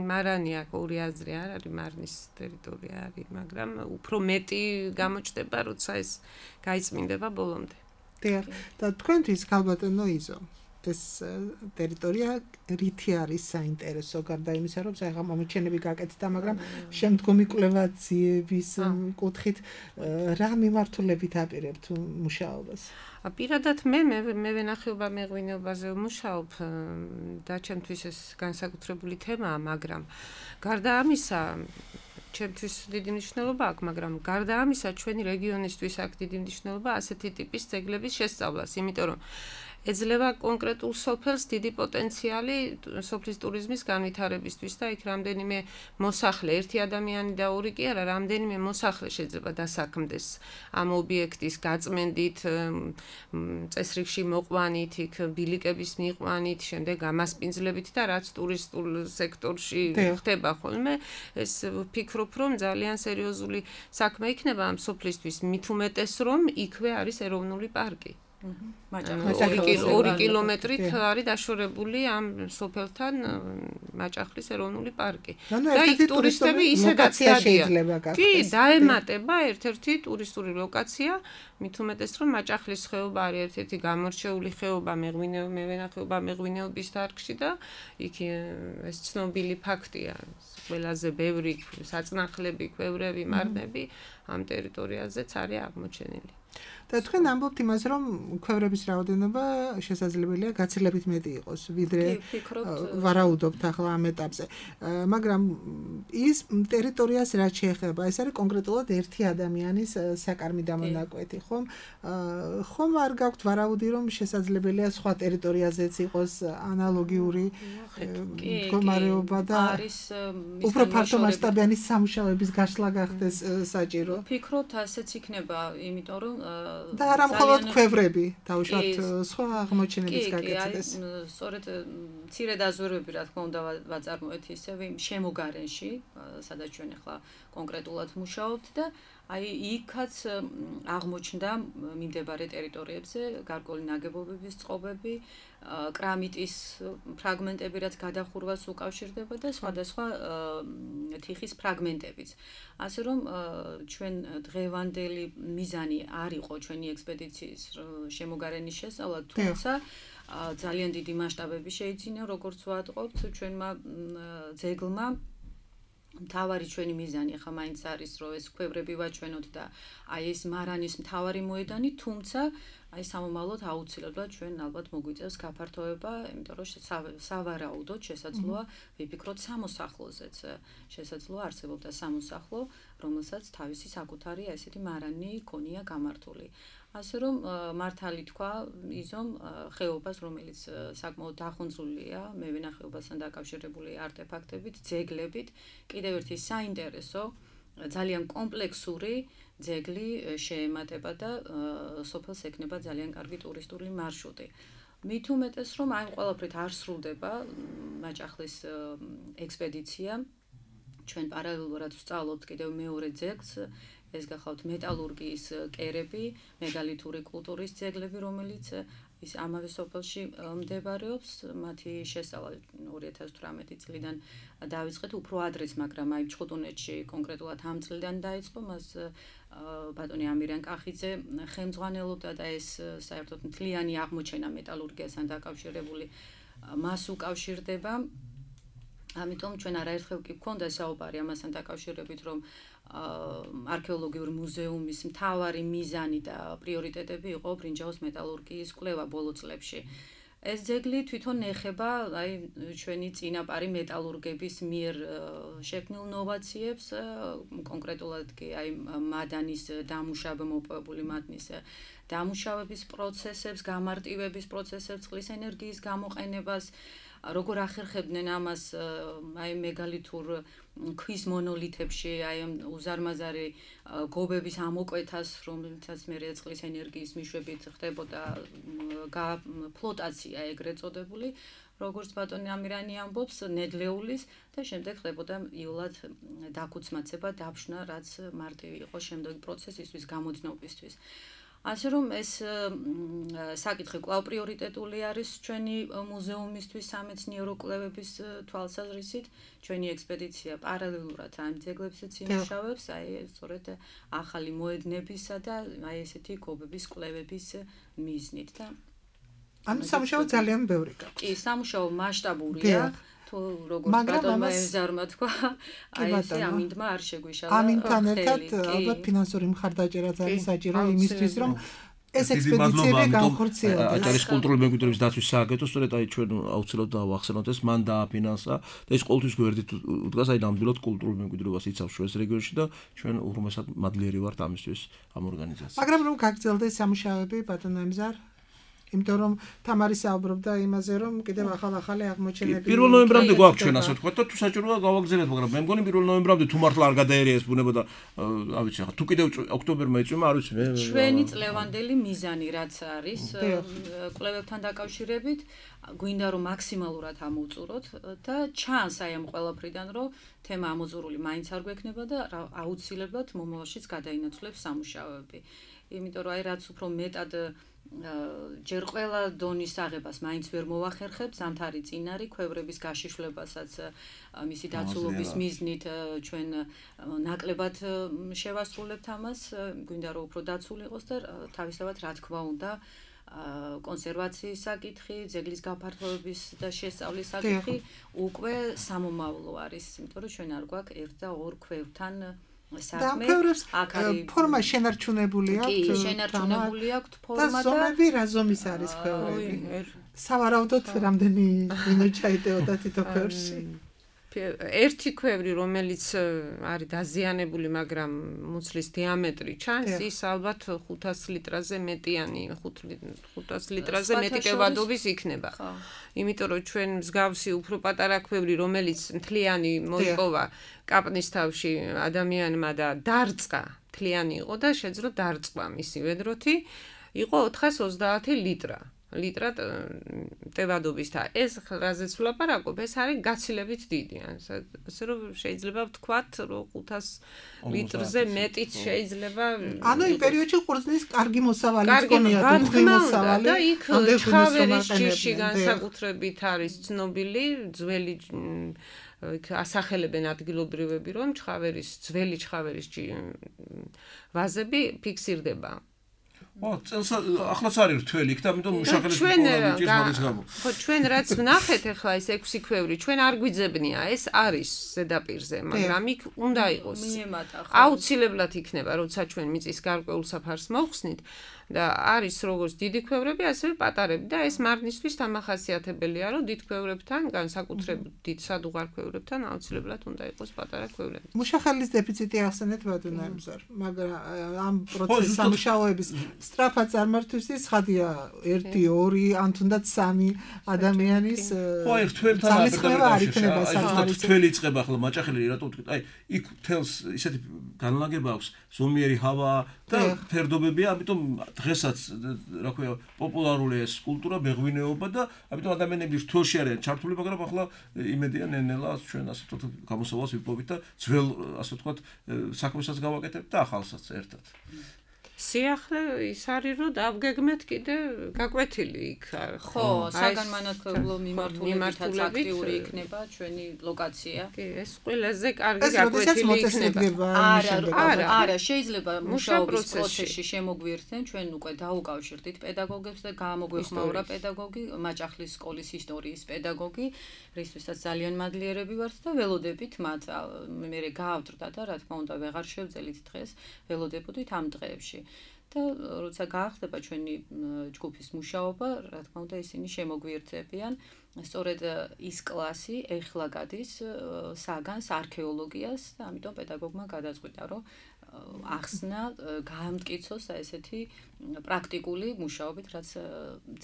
მარანი აქვს ორი აზრი არ არის, მარნის ტერიტორია არის, მაგრამ უფრო მეტი გამოჩნდება, როცა ეს გაიწმინდება ბოლომდე. დიახ, და თქვენთვის ქალბატონო იზო, ეს ტერიტორია რითი არის საინტერესო, გარდა იმისა, რომ საერთოდ მომჩენები გაკეთდა, მაგრამ შემდგომი კვლევაციების კუთხით რა მიმართულებით აპირებთ მუშაობას? პირადად მე მე ვენახეობა მეღვინეობაზე ვმუშაობ და ჩემთვის ეს განსაკუთრებული თემაა, მაგრამ გარდა ამისა ჩემთვის დიდი მნიშვნელობა აქვს, მაგრამ გარდა ამისა ჩვენი რეგიონისთვის აქვს დიდი მნიშვნელობა ასეთი ტიპის ძეგლების შესწავლას, იმიტომ რომ ეძლევა კონკრეტულ სოფელს დიდი პოტენციალი სოფლის ტურიზმის განვითარებისთვის და იქ რამდენიმე მოსახლე, ერთი ადამიანი და ორი კი არა, რამდენიმე მოსახლე შეიძლება დასაქმდეს ამ ობიექტის გაწმენდით, წესრიგში მოყვანით, იქ ბილიკების მიყვანით, შემდეგ გამასპინძლებით და რაც ტურისტულ სექტორში ხდება ხოლმე, ეს ვფიქრობ, რომ ძალიან სერიოზული საქმე იქნება ამ სოფლისთვის, მით უმეტეს რომ იქვე არის ეროვნული პარკი. ორი კილომეტრით არის დაშორებული ამ სოფელთან მაჭახლის ეროვნული პარკი. და იქ ტურისტები ისედაც დადიან. კი, დაემატება ერთ-ერთი ტურისტული ლოკაცია, მით უმეტეს რომ მაჭახლის ხეობა არის ერთ-ერთი გამორჩეული ხეობა მეღვინეობა მეღვინეობის დარგში და იქ ეს ცნობილი ფაქტია. ყველაზე ბევრი საწნახლები, ქვევრები, მარნები ამ ტერიტორიაზეც არის აღმოჩენილი. და თქვენ ამბობთ იმას, რომ ქვევრების რაოდენობა შესაძლებელია გაცილებით მეტი იყოს, ვიდრე ვარაუდობთ ახლა ამ ეტაპზე. მაგრამ ის ტერიტორიას რაც შეეხება, ეს არის კონკრეტულად ერთი ადამიანის საკარმი დამონაკვეთი, ხომ? ხომ არ გაქვთ ვარაუდი, რომ შესაძლებელია სხვა ტერიტორიაზეც იყოს ანალოგიური მდგომარეობა და არის უფრო ფართო მასშტაბიანი სამუშაოების გაშლა გახდეს საჭირო? ვფიქრობთ, ასეც იქნება, იმიტომ რომ და არა მხოლოდ ქვევრები, თავშოთ სხვა აღმოჩენების გაკეთდეს. სწორედ მცირე დაზვერვები, რა თქმა უნდა, ვაწარმოეთ ისევ იმ შემოგარენში, სადაც ჩვენ ახლა კონკრეტულად მუშაობთ და აი იქაც აღმოჩნდა მიმდებარე ტერიტორიებზე გარკვეული ნაგებობების წყობები, კრამიტის ფრაგმენტები, რაც გადახურვას უკავშირდება და სხვადასხვა თიხის ფრაგმენტებიც. ასე რომ ჩვენ დღევანდელი მიზანი არ იყო ჩვენი ექსპედიციის შემოგარენის შესწავლა, თუმცა ძალიან დიდი მასშტაბები შეიძინა, როგორც ვატყობთ, ჩვენმა ძეგლმა მთავარი ჩვენი მიზანი ახლა მაინც არის, რომ ეს ქვევრები ვაჩვენოთ და აი ეს მარანის მთავარი მოედანი, თუმცა აი სამომავლოდ აუცილებლად ჩვენ ალბათ მოგვიწევს გაფართოება, იმიტომ რომ სავარაუდოდ შესაძლოა ვიფიქროთ სამოსახლოზეც, შესაძლოა არსებობდა სამოსახლო, რომელსაც თავისი საკუთარი ესეთი მარანი ქონია გამართული. ასე რომ მართალი თქვა იზომ ხეობას, რომელიც საკმაოდ დახუნძულია მევენახეობასთან დაკავშირებული არტეფაქტებით, ძეგლებით, კიდევ ერთი საინტერესო, ძალიან კომპლექსური ძეგლი შეემატება და სოფელს ექნება ძალიან კარგი ტურისტული მარშრუტი. მით უმეტეს რომ აი ყველაფრით არ სრულდება მაჭახლის ექსპედიცია. ჩვენ პარალელურად ვსწავლობთ კიდევ მეორე ძეგლს, ეს გახავთ მეტალურგიის კერები, მეგალითური კულტურის ძეგლები, რომელიც ის ამავე სოფელში მდებარეობს, მათი შესწავლა ორი ათას თვრამეტი წლიდან დაიწყეთ, უფრო ადრეც, მაგრამ აი ჩხუტუნეთში კონკრეტულად ამ წლიდან დაიწყო, მას ბატონი ამირიან კახიძე ხელმძღვანელობდა და ეს საერთოდ მთლიანი აღმოჩენა მეტალურგიასთან დაკავშირებული მას უკავშირდება. ამიტომ ჩვენ არაერთხელ კი გვქონდა საუბარი ამასთან დაკავშირებით, რომ არქეოლოგიური მუზეუმის მთავარი მიზანი და პრიორიტეტები იყო ბრინჯაოს მეტალურგიის კვლევა ბოლო წლებში. ეს ძეგლი თვითონ ეხება აი ჩვენი წინაპარი მეტალურგების მიერ შექმნილ ნოვაციებს, კონკრეტულად კი აი მადანის დამუშავება, მოპოვებული მადნის დამუშავების პროცესებს, გამარტივების პროცესებს, წყლის ენერგიის გამოყენებას, როგორ ახერხებდნენ ამას აი მეგალითურ ქვის მონოლითებში, აი უზარმაზარი გობების ამოკვეთას, რომელიცაც მერე წყლის ენერგიის მიშვებით ხდებოდა ფლოტაცია ეგრეთ წოდებული, როგორც ბატონი ამირანი ამბობს, ნედლეულის და შემდეგ ხდებოდა იოლად დაქუცმაცება, დაფშნა, რაც მარტივი იყო შემდეგი პროცესისთვის, გამოდნობისთვის. ასე რომ ეს საკითხი კვლავ პრიორიტეტული არის ჩვენი მუზეუმისთვის სამეცნიერო კვლევების თვალსაზრისით. ჩვენი ექსპედიცია პარალელურად ამ ძეგლებსაც იმუშავებს, აი სწორედ ახალი მოედნებისა და აი ესეთი გობების კვლევების მიზნით და ანუ სამუშაო ძალიან ბევრი გაქვს. კი, სამუშაო მასშტაბურია. თუ როგორც ბატონმა ეზარმა თქვა, აი ესე ამინდმა არ შეგვიშალა. ამინთან ერთად ალბათ ფინანსური მხარდაჭერაც არის საჭირო იმისთვის, რომ ეს ექსპედიციები განხორციელდეს. აჭარის კულტურული მემკვიდრეობის დაცვის სააგენტო სწორედ აი ჩვენ აუცილებლად დავახსენოთ ეს მან დააფინანსა და ეს ყოველთვის გვერდით უდგას, აი ნამდვილად კულტურულ მემკვიდრეობას იცავს ჩვენს რეგიონში და ჩვენ უღრმესად მადლიერი ვართ ამისთვის ამ ორგანიზაციას. მაგრამ რომ გაგრძელდეს სამუშაოები ბატონო ემზარ, იმიტომ რომ თამარი საუბრობდა იმაზე, რომ კიდევ ახალ-ახალი აღმოჩენები პირველ ნოემბრამდე გვაქვს ჩვენ ასე ვთქვათ და თუ საჭიროა გავაგზავნეთ, მაგრამ მე მგონი პირველ ნოემბრამდე თუ მართლა არ გადაერიეს ბუნება და არ ვიცი ახლა თუ კიდევ ოქტომბერმა იწვიმა, არ ვიცი მე. ჩვენი წლევანდელი მიზანი რაც არის კვლევებთან დაკავშირებით, გვინდა რომ მაქსიმალურად ამოვწუროთ და ჩანს აი ამ ყველაფრიდან, რომ თემა ამოწურული მაინც არ გვექნება და აუცილებლად მომავალშიც გადაინაცვლებს სამუშაოები. იმიტომ რომ აი რაც უფრო მეტად ჯერ ყველა დონის აღებას მაინც ვერ მოვახერხებ, ზამთარი წინ არის, ქვევრების გაშიშვლებასაც მისი დაცულობის მიზნით ჩვენ ნაკლებად შევასრულებთ ამას, გვინდა რომ უფრო დაცული იყოს და თავისთავად რა თქმა უნდა კონსერვაციის საკითხი, ძეგლის გაფართოების და შესწავლის საკითხი უკვე სამომავლო არის, იმიტომ რომ ჩვენ არ გვაქვს ერთ და ორ ქვევრთან საქმე. აქ არის ფორმა შენარჩუნებული აქვს. კი, შენარჩუნებული აქვს ფორმა და ზომები რა ზომის არის ქვევრები? სავარაუდოდ რამდენი მინუთ ჩაიტეოდა თითო ქვევრში? ერთი ქვევრი, რომელიც არის დაზიანებული, მაგრამ მუცლის დიამეტრი ჩანს, ის ალბათ ხუთას litrაზე მეტიანი, ხუთას litrაზე მეტი კევადობის იქნება. იმიტომ რომ ჩვენ მსგავსი უფრო პატარა ქვევრი, რომელიც მთლიანი მოიპოვა კაპნის თავში ადამიანმა და დარწყა, მთლიანი იყო და შეძლო დარწყვა მისი ვედროთი, იყო ოთხას ოცდაათი ლიტრა. ლიტრად ტევადობის და ეს რაზეც ვლაპარაკობ, ეს არის გაცილებით დიდი. ასე რომ შეიძლება ვთქვათ, რომ ხუთას litrზე მეტიც შეიძლება. ანუ იმ პერიოდში ყურძნის კარგი მოსავალი გქონია, უხვი მოსავალი. და იქ ჩხავერის ჯიში განსაკუთრებით არის ცნობილი, ძველი ასახელებენ ადგილობრივები, რომ ჩხავერის, ძველი ჩხავერის ვაზები ფიქსირდება. ო, წელს ახლაც არის რთველი, იქ და ამიტომ მუშახელის პრობლემის მაგის გამო. ხო, ჩვენ რაც ვნახეთ ახლა ეს ექვსი ქვევრი, ჩვენ არ გვიძებნია, ეს არის ზედაპირზე, მაგრამ იქ უნდა იყოს. აუცილებლად იქნება, როცა ჩვენ მიწის გარკვეულ საფარს მოვხსნით და არის როგორც დიდი ქვევრები, ასევე პატარები და ეს მარნისთვის დამახასიათებელია, რომ დიდ ქვევრებთან, განსაკუთრებით დიდ სადუღარ ქვევრებთან აუცილებლად უნდა იყოს პატარა ქვევრები. მუშახელის დეფიციტი ახსენეთ ბატონო ემზარ, მაგრამ ამ პროცესის სამუშაოების სწრაფად წარმართვისთვის ხადია ერთი, ორი, ან თუნდაც სამი ადამიანის ხო, ერთ თველთან არ იქნება საკმარისი. თველი იწყება ახლა მაჭახელი, რატომ ვთქვით, აი, იქ თელს ისეთი განლაგება აქვს, ზომიერი ჰავა და ფერდობებია, ამიტომ დღესაც რა ქვია, პოპულარული ეს კულტურა, მეღვინეობა და ამიტომ ადამიანები რთველში არიან ჩართული, მაგრამ ახლა იმედია ნენელა ჩვენ ასე ვთქვათ, გამოსავალს ვიპოვით და ძველ ასე ვთქვათ, საქმესაც გავაკეთებთ და ახალსაც ერთად. სიახლე ის არის რომ დავგეგმეთ კიდე გაკვეთილი იქ. ხო, საგანმანათლებლო მიმართულებითაც აქტიური იქნება ჩვენი ლოკაცია. კი, ეს ყველაზე კარგი გაკვეთილი იქნება. არა, არა, შეიძლება მუშაობის პროცესში შემოგვიერთდნენ, ჩვენ უკვე დაუკავშირდით პედაგოგებს და გამოგვეხმაურა პედაგოგი, მაჭახლის სკოლის ისტორიის პედაგოგი, რისთვისაც ძალიან მადლიერები ვართ და ველოდებით მათ მე გაავდრდა და რა თქმა უნდა ვეღარ შევძელით დღეს, ველოდებოდით ამ დღეებში. და როცა გაახდება ჩვენი ჯგუფის მუშაობა, რა თქმა უნდა ისინი შემოგვიერთებიან. სწორედ ის კლასი ეხლა გადის საგანს არქეოლოგიას და ამიტომ პედაგოგმა გადაწყვიტა, რომ ახსნა, გაამტკიცოს და ესეთი პრაქტიკული მუშაობით, რაც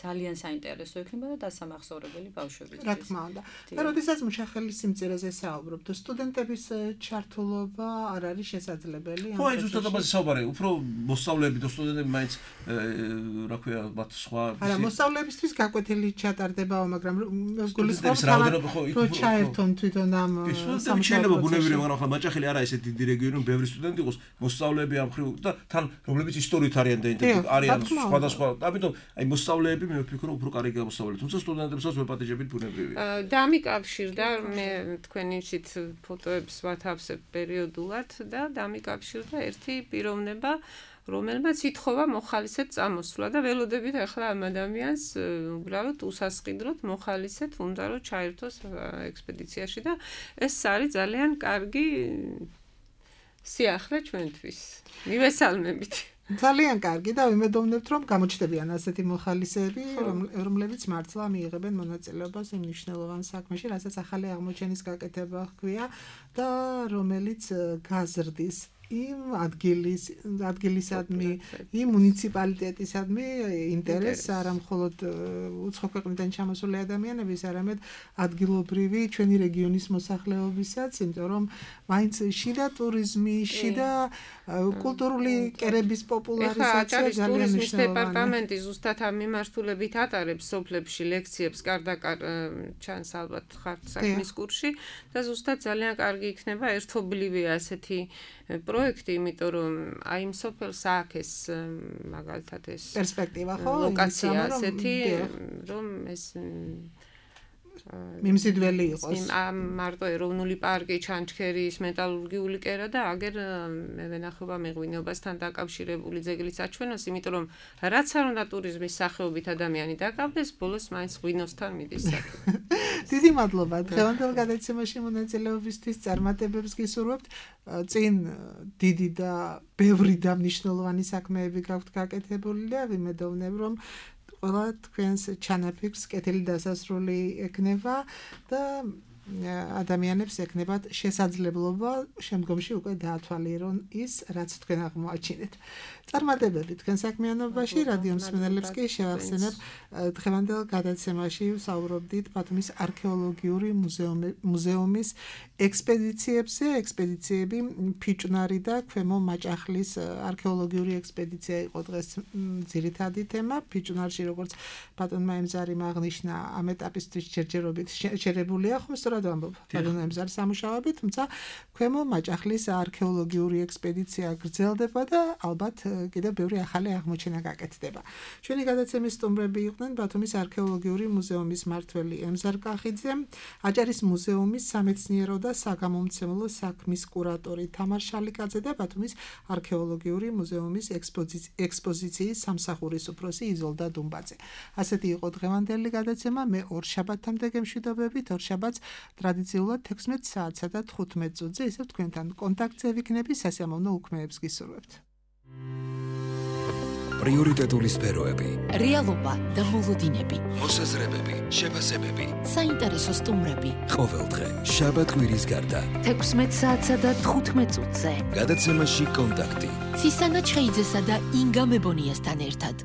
ძალიან საინტერესო იქნება და დასამახსოვრებელი ბავშვებისთვის. რა თქმა უნდა. და როდესაც მუშახელის სიმწირეზე საუბრობთ, სტუდენტების ჩართულობა არ არის შესაძლებელი? ხო, აი ზუსტად ამაზე საუბარი, უფრო მოსწავლეები და სტუდენტები მაინც რა ქვია, მათ სხვა არა, მოსწავლეებისთვის გაკვეთილი ჩატარდებაო, მაგრამ გულისხმობს რომ ჩაერთონ თვითონ ამ სამუშაო შეიძლება ბუნებრივია, მაგრამ ახლა მაჭახელი არა ესეთი დიდი რეგიონი, რომ ბევრი სტუდენტი იყოს, მოსწავლეები ამ ხრივ და თან რომლებიც ისტორიით არიან დაინტერესებული არიან სხვადასხვა. ამიტომ აი მოსწავლეები მე ვფიქრობ უფრო კარგი გამოსწავლებელი, თუმცა სტუდენტებსაც ვეპატიჟებით ბუნებრივია. დამიკავშირდა მე თქვენი ისეთ ფოტოებს ვათავსებ პერიოდულად და დამიკავშირდა ერთი პიროვნება, რომელმაც ითხოვა მოხალისედ წამოსვლა და ველოდებით ახლა ამ ადამიანს უბრალოდ უსასყიდროდ მოხალისედ უნდა რომ ჩაერთოს ექსპედიციაში და ეს არის ძალიან კარგი სიახლე ჩვენთვის. მივესალმებით. ძალიან კარგი და ვიმედოვნებთ რომ გამოჩნდებიან ასეთი მოხალისეები, რომლებიც მართლა მიიღებენ მონაწილეობას იმ მნიშვნელოვან საქმეში, რასაც ახალი აღმოჩენის გაკეთება ჰქვია და რომელიც გაზრდის იმ ადგილის ადგილისადმი, იმ მუნიციპალიტეტისადმი ინტერესს არა მხოლოდ უცხო ქვეყნიდან ჩამოსული ადამიანების, არამედ ადგილობრივი ჩვენი რეგიონის მოსახლეობისაც, იმიტომ რომ მაინც შიდა ტურიზმი, შიდა კულტურული კერების პოპულარიზაცია ძალიან მნიშვნელოვანია. დეპარტამენტი ზუსტად ამ მიმართულებით ატარებს სოფლებში ლექციებს, კარდაკარ ჩანს ალბათ ხართ საქმის კურსში და ზუსტად ძალიან კარგი იქნება ერთობლივი ასეთი პროექტი, იმიტომ რომ აი იმ სოფელს ააქეს მაგალითად ეს პერსპექტივა ხო ლოკაცია ასეთი რომ ეს მიმზიდველი იყოს. მარტო ეროვნული პარკი, ჩანჩქერის მეტალურგიული კერა და აგერ მე ვენახება მეღვინეობასთან დაკავშირებული ძეგლიც აჩვენოს, იმიტომ რომ რაც არ უნდა ტურიზმის სახეობით ადამიანი დაკავდეს, ბოლოს მაინც ღვინოსთან მიდის საქმე. დიდი მადლობა. დღევანდელ გადაცემაში მონაწილეობისთვის წარმატებებს გისურვებთ. წინ დიდი და ბევრი და მნიშვნელოვანი საქმეები გაქვთ გაკეთებული და ვიმედოვნებ რომ ყველა თქვენს ჩანაფიქრს კეთილი დასასრული ექნება და ადამიანებს ექნებათ შესაძლებლობა შემდგომში უკვე დაათვალიერონ ის, რაც თქვენ აღმოაჩინეთ. წარმატებები თქვენ საქმიანობაში, რადიო მსმენელებს კი შევახსენებ დღევანდელ გადაცემაში ვსაუბრობდით ბათუმის არქეოლოგიური მუზეუმის ექსპედიციებზე. ექსპედიციები ფიჭვნარი და ქვემო მაჭახლის არქეოლოგიური ექსპედიცია იყო დღეს ძირითადი თემა. ფიჭვნარში, როგორც ბატონმა ემზარიმ აღნიშნა, ამ ეტაპისთვის ჯერჯერობით შეერებულია, ხო სწორად ვამბობ, ბატონ ემზარ სამუშაოებით, თუმცა ქვემო მაჭახლის არქეოლოგიური ექსპედიცია გრძელდება და ალბათ კიდევ ბევრი ახალი აღმოჩენა გაკეთდება. ჩვენი გადაცემის სტუმრები იყვნენ ბათუმის არქეოლოგიური მუზეუმის მმართველი ემზარ კახიძე, აჭარის მუზეუმის სამეცნიერო და საგამომცემლო საქმის კურატორი თამარ შალიკაძე და ბათუმის არქეოლოგიური მუზეუმის ექსპოზიციის სამსახურის უფროსი იზოლდა დუმბაძე. ასეთი იყო დღევანდელი გადაცემა. მე ორ შაბათამდე გემშვიდობებით, ორ შაბათს ტრადიციულად თექვსმეტ საათსა და თხუთმეტ წუთზე ისევ თქვენთან კონტაქტზე ვიქნები, სასიამოვნო უქმეებს გისურვებთ. პრიორიტეტული სფეროები, რეალობა და მოლოდინები, მოსაზრებები, შეფასებები, საინტერესო სტუმრები. ყოველდღე შაბათ კვირის გარდა თექვსმეტ საათსა და თხუთმეტ წუთზე გადაცემაში კონტაქტი. ცისანა ჩხეიძესა და ინგა მებონიასთან ერთად.